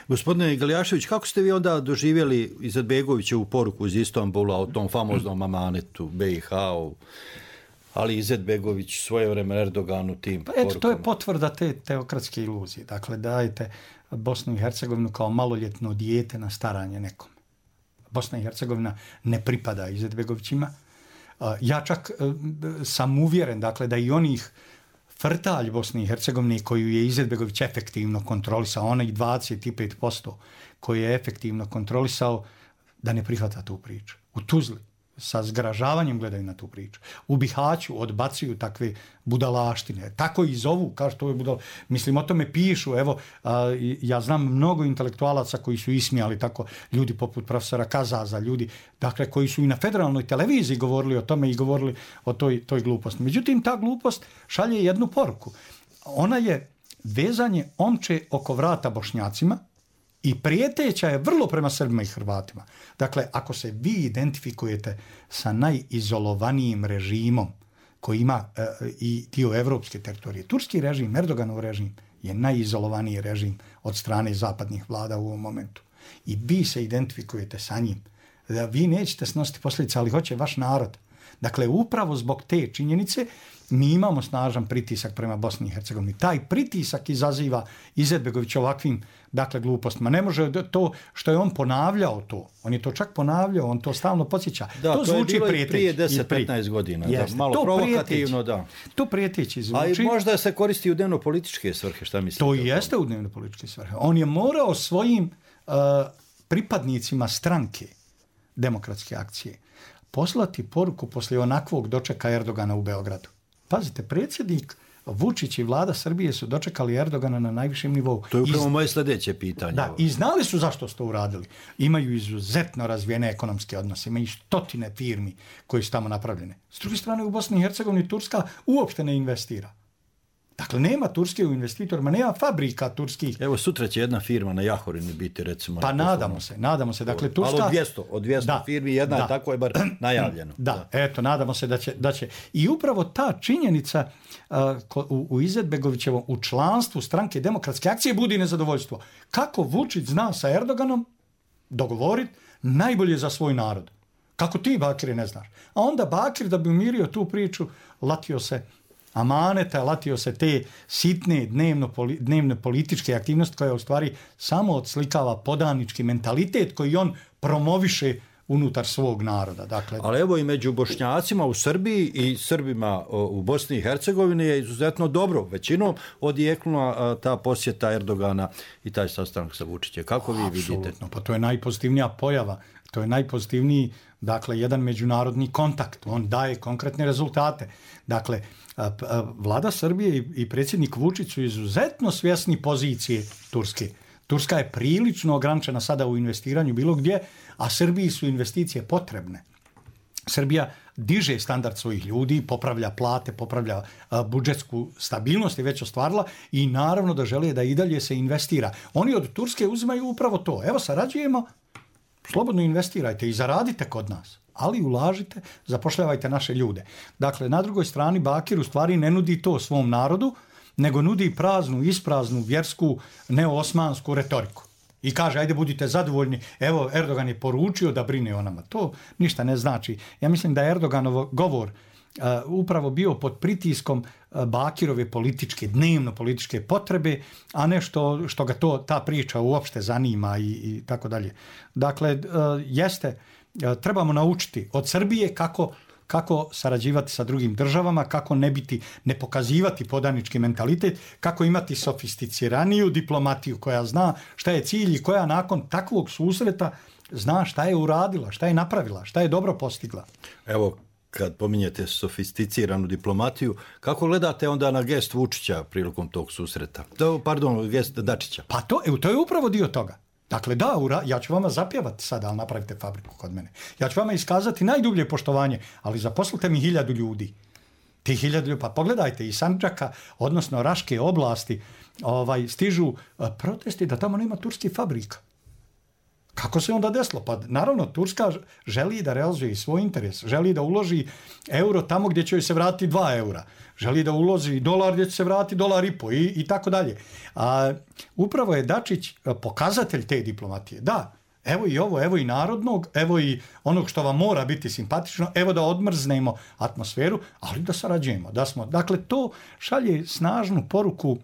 Gospodine Galjašević, kako ste vi onda doživjeli Izetbegovićevu poruku iz Istanbula o tom famoznom amanetu BiH, ali Izetbegović svojevremeno Erdoganu tim porukama? Eto, to je potvrda te teokratske iluzije. Dakle, dajte Bosnu i Hercegovinu kao maloljetno dijete na staranje nekom. Bosna i Hercegovina ne pripada Izetbegovićima. Ja čak sam uvjeren, dakle, da i onih frtalj Bosne i Hercegovine koju je Izetbegović efektivno kontrolisao, onaj 25% koji je efektivno kontrolisao, da ne prihvata tu priču. U Tuzli sa zgražavanjem gledaju na tu priču. U Bihaću odbacuju takve budalaštine. Tako i zovu, kao što je budal. Mislim, o tome pišu. Evo, ja znam mnogo intelektualaca koji su ismijali tako, ljudi poput profesora Kazaza, ljudi, dakle, koji su i na federalnoj televiziji govorili o tome i govorili o toj gluposti. Međutim, ta glupost šalje jednu poruku. Ona je vezanje omče oko vrata Bošnjacima i prijeteća je vrlo prema Srbima i Hrvatima. Dakle, ako se vi identifikujete sa najizolovanijim režimom koji ima i dio evropske teritorije, turski režim, Erdoganov režim je najizolovaniji režim od strane zapadnih vlada u ovom momentu. I vi se identifikujete sa njim. Da vi nećete snositi posljedice, ali hoće vaš narod. Dakle, upravo zbog te činjenice mi imamo snažan pritisak prema Bosni i Hercegovini. Taj pritisak izaziva Izetbegović ovakvim, dakle, glupostima. Ne može to što je on ponavljao to. On je to čak ponavljao, on to stalno podsjeća. Da, to zvuči je bilo prijeteć, prije 10-15 godina. Jeste, da, malo to provokativno, da. To prijeteći zvuči. A možda se koristi u dnevno-političke svrhe, šta mislite? To jeste u dnevno-političke svrhe. On je morao svojim pripadnicima stranke Demokratske akcije poslati poruku poslije onakvog dočeka Erdogana u Beogradu. Pazite, predsjednik Vučić i vlada Srbije su dočekali Erdogana na najvišem nivou. To je upravo moje sljedeće pitanje. Da, i znali su zašto su to uradili. Imaju izuzetno razvijene ekonomske odnose, imaju stotine firmi koje su tamo napravljene. S druge strane, u Bosni i Hercegovini Turska uopšte ne investira. Dakle, nema turske u investitorima, nema fabrika turskih. Evo, sutra će jedna firma na Jahorini biti, recimo. Pa nadamo se. Dakle, Turska... Ali od 200 firmi jedna je tako je bar najavljeno. Da, eto, nadamo se da će. I upravo ta činjenica u Izetbegovićevom, u članstvu stranke Demokratske akcije budi nezadovoljstvo. Kako Vučić zna sa Erdoganom dogovoriti najbolje za svoj narod. Kako ti, Bakire, ne znaš. A onda Bakir, da bi umirio tu priču, latio se amaneta, latio se te sitne dnevne političke aktivnosti koja u stvari samo odslikava podanički mentalitet koji on promoviše unutar svog naroda. Dakle, ali evo i među Bošnjacima u Srbiji i Srbima u Bosni i Hercegovini je izuzetno dobro. Većinom odjeknula ta posjeta Erdogana i taj sastanak sa Vučićem. Kako vi vidite? Apsolutno, pa to je najpozitivnija pojava. To je najpozitivniji, dakle, jedan međunarodni kontakt. On daje konkretne rezultate. Dakle, vlada Srbije i predsjednik Vučić su izuzetno svjesni pozicije Turske. Turska je prilično ograničena sada u investiranju bilo gdje, a Srbiji su investicije potrebne. Srbija diže standard svojih ljudi, popravlja plate, popravlja budžetsku stabilnost je već ostvarila i naravno da žele da i dalje se investira. Oni od Turske uzimaju upravo to. Evo, sarađujemo, slobodno investirajte i zaradite kod nas, ali ulažite, zapošljavajte naše ljude. Dakle, na drugoj strani Bakir u stvari ne nudi to svom narodu, nego nudi praznu, ispraznu, vjersku, neosmansku retoriku. I kaže, ajde budite zadovoljni, evo Erdogan je poručio da brine o nama. To ništa ne znači. Ja mislim da je Erdoganov govor upravo bio pod pritiskom Bakirove dnevno političke potrebe, a ne što ga ta priča uopšte zanima i tako dalje. Dakle, trebamo naučiti od Srbije kako sarađivati sa drugim državama, kako ne pokazivati podanički mentalitet, kako imati sofisticiraniju diplomatiju koja zna šta je cilj i koja nakon takvog susreta zna šta je uradila, šta je napravila, šta je dobro postigla. Evo, kad pominjete sofisticiranu diplomatiju, kako gledate onda na gest Vučića prilikom tog susreta? Gest Dačića. Pa to je upravo dio toga. Dakle, ja ću vama zapjevati sada, ali napravite fabriku kod mene. Ja ću vama iskazati najdublje poštovanje, ali zaposlite mi 1000 ljudi. Ti 1000 ljudi, pa pogledajte, iz Sandžaka, odnosno Raške oblasti, stižu protesti da tamo nema turskih fabrika. Kako se onda desilo? Pa naravno, Turska želi da realizuje svoj interes, želi da uloži euro tamo gdje će joj se vratiti 2 eura, želi da uloži dolar gdje će se vratiti $1,5 i tako dalje. Upravo je Dačić pokazatelj te diplomatije. Da, evo i ovo, evo i narodnog, evo i onog što vam mora biti simpatično, evo da odmrznemo atmosferu, ali da sarađujemo. Dakle, to šalje snažnu poruku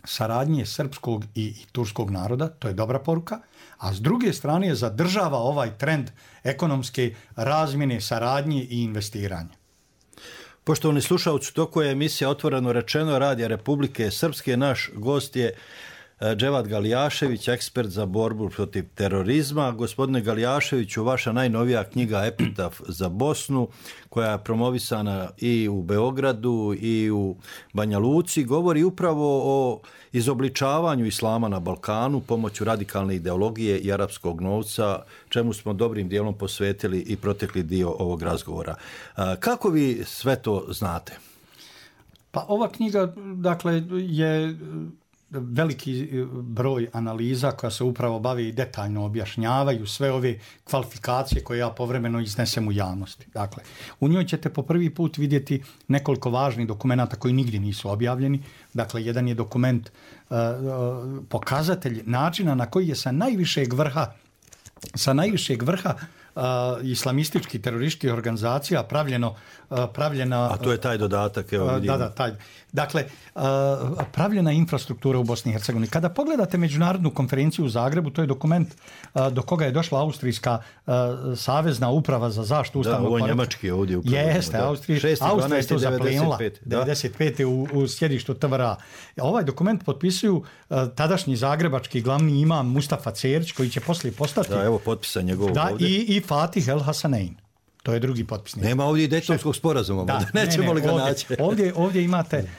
saradnje srpskog i turskog naroda, to je dobra poruka, a s druge strane zadržava ovaj trend ekonomske razmjene, saradnje i investiranja. Poštovani slušalci, toko je emisija Otvoreno rečeno Radija Republike Srpske. Naš gost je Dževad Galijašević, ekspert za borbu protiv terorizma. Gospodine Galijaševiću, vaša najnovija knjiga Epitaf za Bosnu, koja je promovisana i u Beogradu i u Banja Luci, govori upravo o izobličavanju islama na Balkanu pomoću radikalne ideologije i arapskog novca, čemu smo dobrim dijelom posvetili i protekli dio ovog razgovora. Kako vi sve to znate? Pa ova knjiga, dakle, je veliki broj analiza koja se upravo bavi i detaljno objašnjavaju sve ove kvalifikacije koje ja povremeno iznesem u javnosti. Dakle, u njoj ćete po prvi put vidjeti nekoliko važnih dokumenata koji nigdje nisu objavljeni. Dakle, jedan je dokument pokazatelj načina na koji je sa najvišeg vrha islamističkih terorističkih organizacija pravljena... A to je taj dodatak, evo vidimo. Da, taj. Dakle, pravljena infrastruktura u Bosni i Hercegovini. Kada pogledate međunarodnu konferenciju u Zagrebu, to je dokument do koga je došla Austrijska savezna uprava za zaštitu ustavnog poretka. Da, ovo je njemački ovdje upravo. Jeste, Austrija je to zaplenila 95. u sjedištu TVRA. Ovaj dokument potpisuju tadašnji zagrebački glavni imam Mustafa Cerić, koji će poslije postati... Da, evo potpisan njegovog ovdje. I Fatih El Hasanein. To je drugi potpisnik. Nema ovdje i Dejtonskog sporazuma. Nećemo li ga naći? Ovdje imate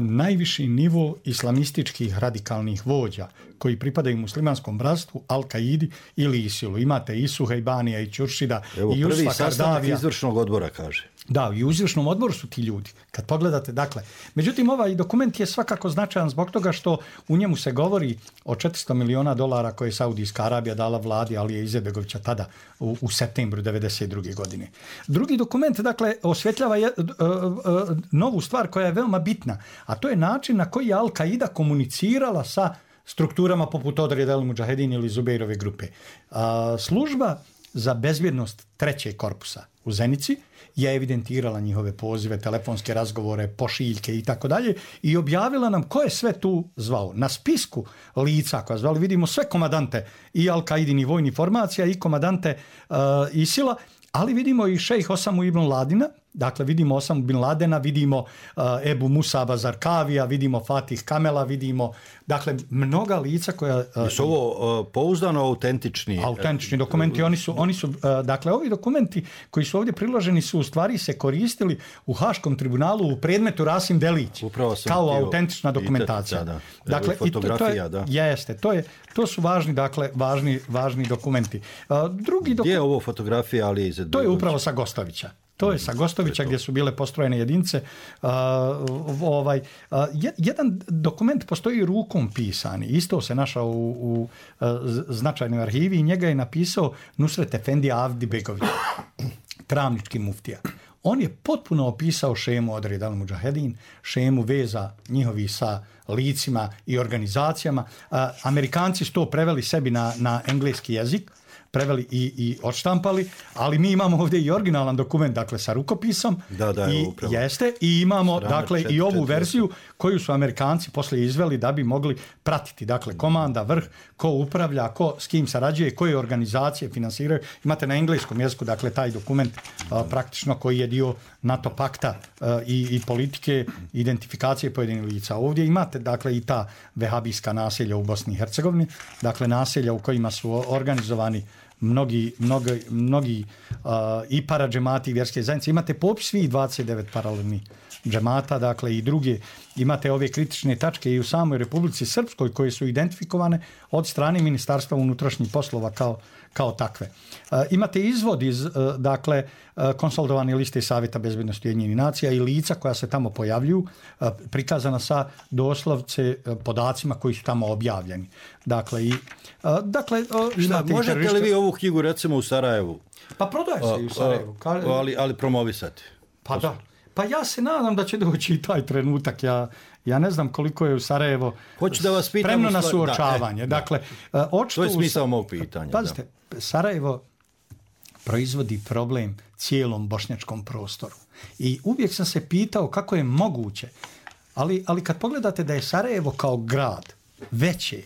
najviši nivo islamističkih radikalnih vođa koji pripadaju muslimanskom bratstvu, Al-Kaidi ili Isilu. Imate i Suhejbanija i Ćuršida i Jusfa prvi Kardavija. sastanak izvršnog odbora, kaže. Da, i u izvršnom odboru su ti ljudi. Kad pogledate, dakle, međutim, ovaj dokument je svakako značajan zbog toga što u njemu se govori o $400 miliona koje je Saudijska Arabija dala vladi Alije Izetbegovića tada u septembru 1992. godine. Drugi dokument, dakle, osvjetljava novu stvar koja je veoma bitna, a to je način na koji je Al-Qaida komunicirala sa strukturama poput Odreda El Mudžahedin ili Zubeirove grupe. Služba za bezbjednost trećeg korpusa u Zenici je evidentirala njihove pozive, telefonske razgovore, pošiljke i tako dalje i objavila nam ko je sve tu zvao. Na spisku lica koja zvali vidimo sve komadante i Al-Qaidini vojnih formacija i komadante ISIL-a, ali vidimo i šejh Osamu ibn Ladina, dakle vidimo Osamu bin Ladena, vidimo Ebu Musaba Zarkavija, vidimo Fatih Kamela, vidimo dakle mnoga lica koja... Su ovo pouzdano autentični dokumenti, oni su dakle ovi dokumenti koji su ovdje priloženi su u stvari se koristili u Haškom tribunalu u predmetu Rasim Delić kao autentična dokumentacija. Dakle, fotografija, da. Jeste, to su važni, dakle, važni dokumenti. Gdje je ovo fotografija Alije Izetbegovića? To je upravo sa Gostovića. To je sa Gostovića gdje su bile postrojene jedinice. Jedan dokument postoji rukom pisani. Isto se našao u značajnoj arhivi i njega je napisao Nusret Efendija Avdibegović, travnički muftija. On je potpuno opisao šemu Odred El Mudžahedin, šemu veza njihovi sa licima i organizacijama. Amerikanci su to preveli sebi na engleski jezik, preveli i odštampali, ali mi imamo ovdje i originalan dokument, dakle sa rukopisom. I imamo dakle i ovu verziju koju su Amerikanci poslije izveli da bi mogli pratiti, dakle komanda, vrh, ko upravlja, ko s kim sarađuje, koje organizacije finansiraju. Imate na engleskom jeziku, dakle taj dokument praktično koji je dio NATO pakta i politike identifikacije pojedinih lica. Ovdje imate dakle i ta vehabijska naselja u Bosni i Hercegovini, dakle naselja u kojima su organizovani mnogi i paradžemati i vjerske zajednice. Imate popis svih 29 paralelnih džemata, dakle i druge. Imate ove kritične tačke i u samoj Republici Srpskoj koje su identifikovane od strane Ministarstva unutrašnjih poslova kao takve. Imate izvod iz dakle konsolidovane liste Savjeta bezbednosti Ujedinjenih nacija i lica koja se tamo pojavljuju, prikazana sa doslovce podacima koji su tamo objavljeni. Dakle možete li vi ovu knjigu recimo u Sarajevu? Pa prodaje se i u Sarajevu. Ali promovisati. Pa da. Pa ja se nadam da će doći i taj trenutak. Ja ne znam koliko je u Sarajevo spremno na suočavanje. Dakle, to je smisao mog pitanja. Pazite, Sarajevo proizvodi problem cijelom bošnjačkom prostoru. I uvijek sam se pitao kako je moguće, ali kad pogledate da je Sarajevo kao grad veće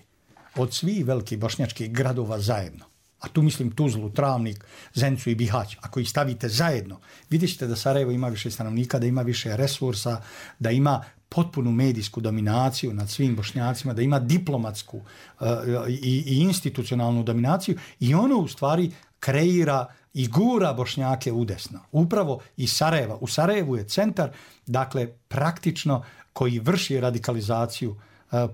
od svih velikih bošnjačkih gradova zajedno, a tu mislim Tuzlu, Travnik, Zenicu i Bihać, ako ih stavite zajedno, vidjet ćete da Sarajevo ima više stanovnika, da ima više resursa, da ima potpunu medijsku dominaciju nad svim Bošnjacima, da ima diplomatsku i institucionalnu dominaciju i ono u stvari kreira i gura Bošnjake udesno. Upravo iz Sarajeva. U Sarajevu je centar, dakle, praktično koji vrši radikalizaciju,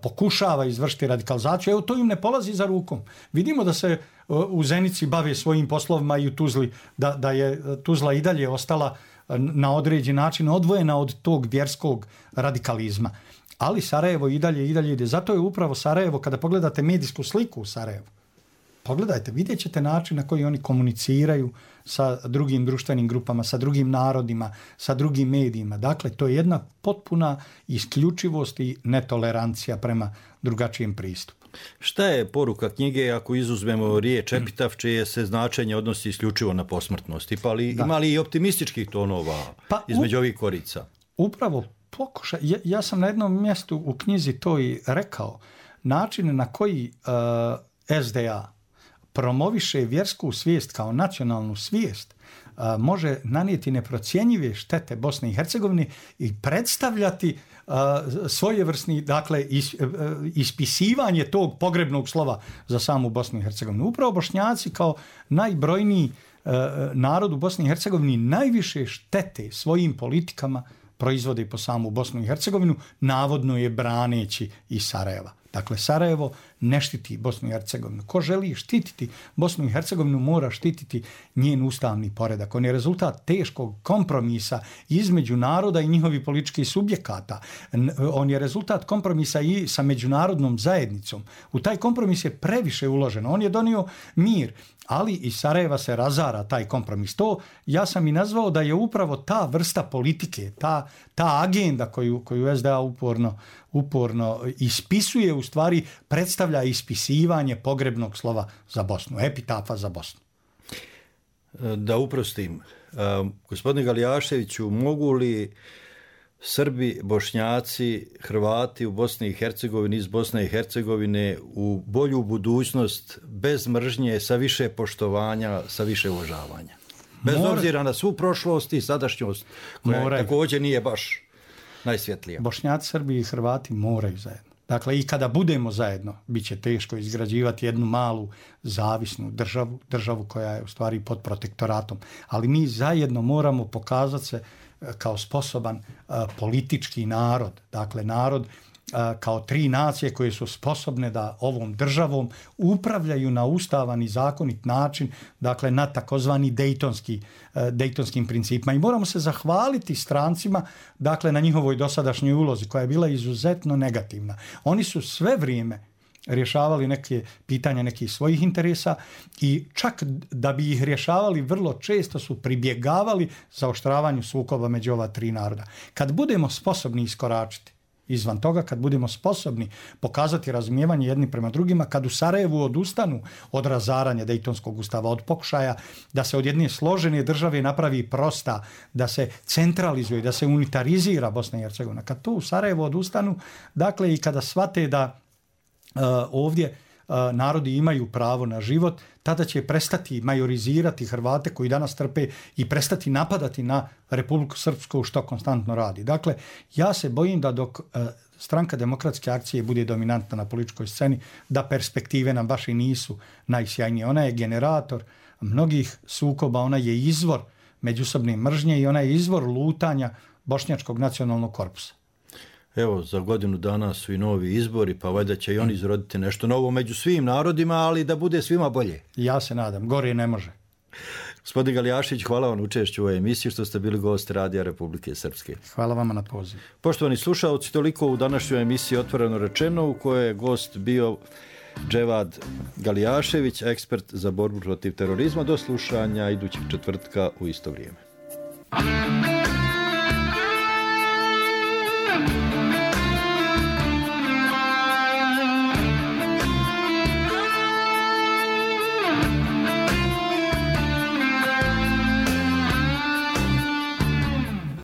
pokušava izvršiti radikalizaciju. Evo, to im ne polazi za rukom. Vidimo da se u Zenici bave svojim poslovima i u Tuzli, da je Tuzla i dalje ostala na određen način odvojena od tog vjerskog radikalizma. Ali Sarajevo i dalje ide. Zato je upravo Sarajevo, kada pogledate medijsku sliku u Sarajevu, pogledajte, vidjet ćete način na koji oni komuniciraju sa drugim društvenim grupama, sa drugim narodima, sa drugim medijima. Dakle, to je jedna potpuna isključivost i netolerancija prema drugačijem pristupu. Šta je poruka knjige ako izuzmemo riječ epitaf, čije se značenje odnosi isključivo na posmrtnost? Ima li i optimističkih tonova između ovih korica? Upravo pokušaj. Ja sam na jednom mjestu u knjizi to i rekao. Način na koji SDA promoviše vjersku svijest kao nacionalnu svijest može nanijeti neprocjenjive štete Bosne i Hercegovine i predstavljati svojevrsni, dakle, ispisivanje tog pogrebnog slova za samu Bosnu i Hercegovinu. Upravo Bošnjaci kao najbrojniji narod u Bosni i Hercegovini najviše štete svojim politikama proizvode po samu Bosnu i Hercegovinu, navodno je braneći iz Sarajeva. Dakle, Sarajevo ne štiti Bosnu i Hercegovinu. Ko želi štititi Bosnu i Hercegovinu mora štititi njen ustavni poredak. On je rezultat teškog kompromisa između naroda i njihovih političkih subjekata. On je rezultat kompromisa i sa međunarodnom zajednicom. U taj kompromis je previše uloženo. On je donio mir, ali iz Sarajeva se razara taj kompromis. To ja sam i nazvao da je upravo ta vrsta politike, ta agenda koju SDA uporno ispisuje, u stvari predstavlja ispisivanje pogrebnog slova za Bosnu, epitafa za Bosnu. Da uprostim, gospodine Galijaševiću, mogu li Srbi, Bošnjaci, Hrvati u Bosni i Hercegovini, iz Bosne i Hercegovine u bolju budućnost bez mržnje, sa više poštovanja, sa više uvažavanja? Bez obzira na svu prošlost i sadašnjost, koja također nije baš najsvjetlija. Bošnjaci, Srbi i Hrvati moraju zajedno. Dakle, i kada budemo zajedno, bit će teško izgrađivati jednu malu zavisnu državu koja je u stvari pod protektoratom. Ali mi zajedno moramo pokazati se kao sposoban politički narod. Dakle, narod kao tri nacije koje su sposobne da ovom državom upravljaju na ustavan i zakonit način, dakle na takozvani dejtonskim principima. I moramo se zahvaliti strancima, dakle, na njihovoj dosadašnjoj ulozi koja je bila izuzetno negativna. Oni su sve vrijeme rješavali neke pitanja nekih svojih interesa i čak da bi ih rješavali vrlo često su pribjegavali zaoštravanju sukoba među ova tri naroda. Kad budemo sposobni iskoračiti izvan toga, kad budemo sposobni pokazati razumijevanje jedni prema drugima, kad u Sarajevu odustanu od razaranja Dejtonskog ustava, od pokušaja da se od jedne složene države napravi prosta, da se centralizuje, da se unitarizira Bosna i Hercegovina, kad to u Sarajevu odustanu, dakle, i kada shvate da ovdje narodi imaju pravo na život, tada će prestati majorizirati Hrvate koji danas trpe i prestati napadati na Republiku Srpsku, što konstantno radi. Dakle, ja se bojim da dok Stranka demokratske akcije bude dominantna na političkoj sceni, da perspektive nam baš i nisu najsjajnije. Ona je generator mnogih sukoba, ona je izvor međusobne mržnje i ona je izvor lutanja Bošnjačkog nacionalnog korpusa. Evo, za godinu dana su i novi izbori, pa valjda će i oni izroditi nešto novo među svim narodima, ali da bude svima bolje. Ja se nadam, gore ne može. Gospodin Galijašić, hvala vam učešću u ovoj emisiji što ste bili gost Radija Republike Srpske. Hvala vama na poziv. Poštovani slušalci, toliko u današnjoj emisiji Otvoreno rečeno, u kojoj je gost bio Dževad Galijašević, ekspert za borbu protiv terorizma. Do slušanja idućeg četvrtka u isto vrijeme.